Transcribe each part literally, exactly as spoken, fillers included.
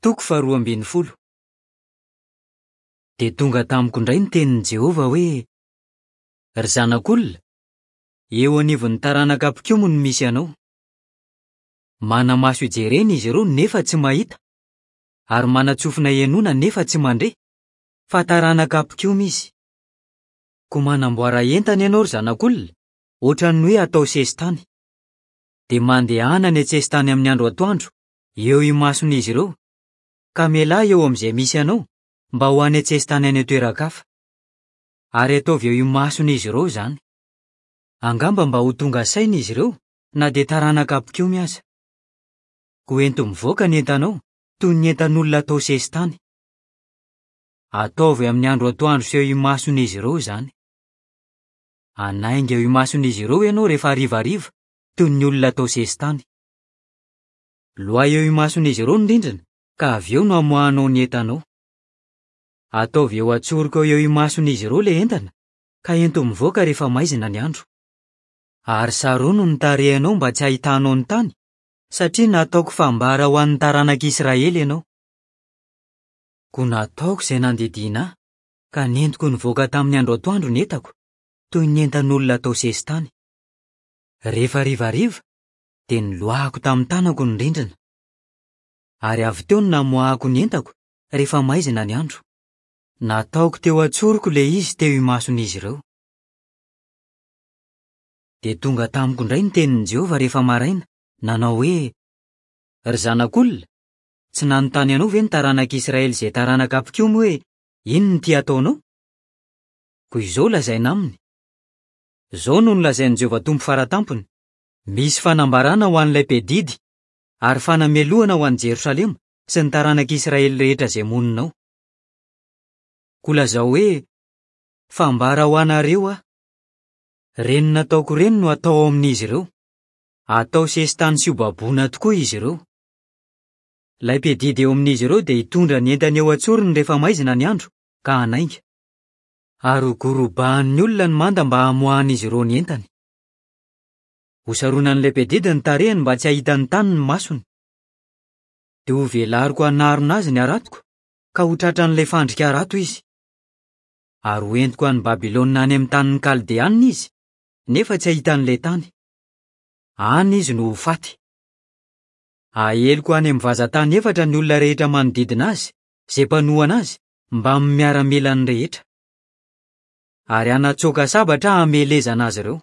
Toko faharoa ambin'ny folo. Dia tonga tamiko indray ny tenin'i Jehovah hoe: "Ry zanak'olona, eo anivon'ny taranaka mpikomy no misy anao. Mana-maso ijerena izy ireo nefa tsy mahita, ary manan-tsofina henoina nefa tsy mandre, fa taranaka mpikomy izy. Koa manamboara entana ianao, ry zanak'olona, ohatran'ny hoe atao sesitany. Dia mandehana any an-tsesitany amin'ny andro atoandro, eo imason'izy ireo, ka mialà eo amin'izay misy anao mba ho any an-tsesitany any an-toeran-kafa. Ary ataovy eo imason'izy ireo izany. Angamba mba ho tonga saina izy ireo na dia taranaka mpikomy aza. Koa ento mivoaka ny entanao toy ny entan'olona atao sesitany. Ataovy amin'ny andro atoandro sy eo imason'izy ireo izany. Hanainga eo imason'izy ireo ianao rehefa harivariva toy ny olona atao sesitany. Loahy eo imason'izy ireo ny rindrina ka avy eo no hamoahanao ny entanao. Ataovy eo an-tsoroko eo imason'izy ireo ilay entana ka ento mivoaka rehefa maizina ny andro. Ary sarono ny tarehinao mba tsy hahitanao ny tany, satria nataoko fambara ho an'ny taranak'Israely ianao. Koa nataoko izay nandidiana ahy, ka nentiko nivoaka tamin'ny andro atoandro ny entako, toy ny entan'olona atao sesitany. Rehefa harivariva, dia niloahako tamin'ny tanako ny rindrina. Ary avy teo no namoahako ny entako rehefa maizina ny andro. Nataoko teo an-tsoroko ilay izy teo imason'izy ireo. Dia tonga tamiko indray ny tenin'i Jehovah rehefa maraina, nanao hoe: "Ry zanak'olona, tsy nanontany anao ve ny taranak'Israely izay taranaka mpikomy hoe inona ity ataonao? Koa izao lazaina aminy: Izao no nolazain'i Jehovah Tompo faratampony: Misy fanambarana ho an'ilay mpiadidy ary fanamelohana ho an'i Jerosalema sy ny taranak'Israely rehetra izay monina ao. Koa lazao hoe: Fambara ho anareo aho. Ireny nataoko ireny no atao ao amin'izy ireo. Atao sesitany sy hobaboina tokoa izy ireo. Ilay mpiadidy eo amin'izy ireo dia hitondra ny entany eo an-tsorony rehefa maizina ny andro ka hanainga. Ary hogorobahan'ny olona ny manda mba hamoahan'izy ireo ny entany. Hosaronan'ilay mpiadidy ny tarehiny mba tsy hahita ny tany ny masony. Dia hovelariko hanarona azy ny haratoko, ka ho tratran'ilay fandrika harato izy. Ary hoentiko any Babylona any amin'ny tanin'ny Kaldeanina izy, nefa tsy hahita an'ilay tany. Any izy no ho faty. Aheliko any amin'ny vazan-tany efatra ny olona rehetra manodidina azy, izay mpanohana azy, mbamin'ny miaramilany rehetra. Ary hanatsoaka sabatra hamelezana azy ireo.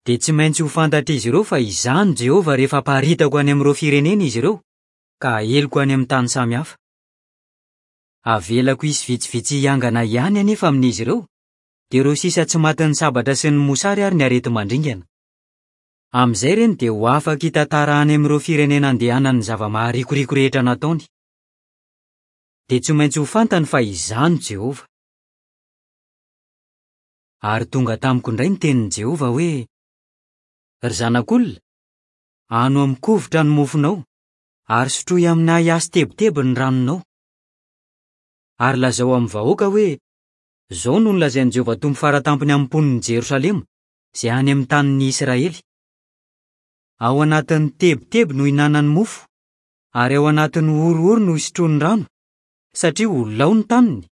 Dia tsy maintsy ho fantatr'izy ireo fa izaho no Jehovah rehefa aparitako any amin'ireo firenena izy ireo, ka aheliko any amin'ny tany samihafa. Avelako hisy vitsivitsy hiangana ihany anefa amin'izy ireo, dia ireo sisa tsy matin'ny sabatra sy ny mosary ary ny areti-mandringana. Amin'izay ireny dia ho afaka hitantara any amin'ireo firenena andehanany ny zava-maharikoriko rehetra nataony. Dia tsy maintsy ho fantany fa izaho no Jehovah. Ary tonga tamiko indray ny tenin'i Jehovah hoe: "Ry zanak'olona, hano amin'ny kovitra ny mofonao, ary sotroy amin'ny ahiahy sy tebiteby ny ranonao. Ary lazao amin'ny vahoaka hoe: Izao no nolazain'i Jehovah Tompo faratampony amin'ny mponin'i Jerosalema, izay any amin'ny tanin'ny Israely. Ao anatin'ny tebiteby no ihinanany mofo, ary ao anatin'ny horohoro no isotroany rano, satria ho lao ny taniny,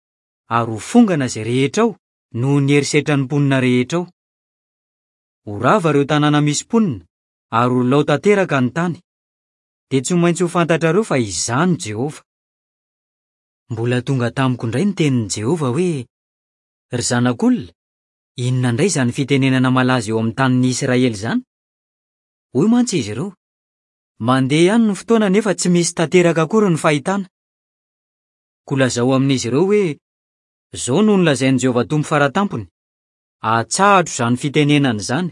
ary ho fongana izay rehetra ao noho ny herisetran'ny mponina rehetra ao. Ho rava ireo tanàna misy mponina, ary ho lao tanteraka ny tany. Dia tsy maintsy ho fantatrareo fa izaho no Jehovah." Mbola tonga tamiko indray ny tenin'i Jehovah hoe: "Ry zanak'olona, inona indray izany fitenenana malaza eo amin'ny tanin'ny Israely izany? Hoy mantsy izy ireo: Mandeha ihany ny fotoana nefa tsy misy tanteraka akory ny fahitana. Koa lazao amin'izy ireo hoe: Izao no nolazain'i Jehovah Tompo faratampony: Atsahatra izany fitenenana izany,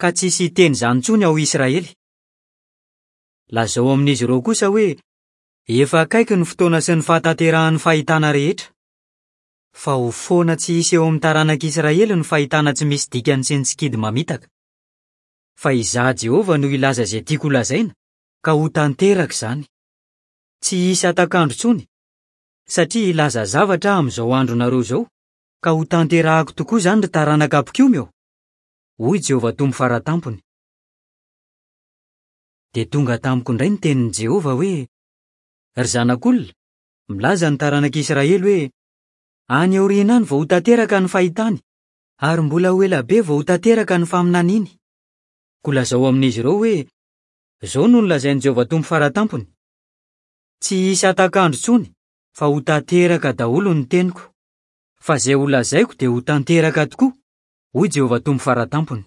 ka tsy hisy hiteny izany intsony ao Israely. Lazao amin'izy ireo kosa hoe: Efa akaiky ny fotoana sy ny fahatanterahan'ny fahitana rehetra. Fa ho foana tsy hisy eo amin'ny taranak'Israely ny fahitana tsy misy dikany sy ny sikidy mamitaka. Fa izaho Jehovah no hilaza izay tiako holazaina, ka ho tanteraka izany. Tsy hisy hatak'andro intsony, satria hilaza zavatra aho amin'izao andronareo izao, ka ho tanterahako tokoa izany ry taranaka mpikomy eo, hoy Jehovah Tompo faratampony. Dia tonga tamiko indray ny tenin'i Jehovah hoe: Ry zanak'olona, milaza ny taranak'Israely hoe: "Any aoriana any vao ho tanteraka ny fahitany, ary mbola ho ela be vao ho tanteraka ny faminaniany." Koa lazao amin'izy ireo hoe: "Izao no nolazain'i Jehovah Tompo Fara Tampony: Tsy hisy hatak'andro intsony, fa ho tanteraka daholo ny teniko. Fa izay holazaiko dia ho tanteraka tokoa, hoy Jehovah Tompo Fara Tampony."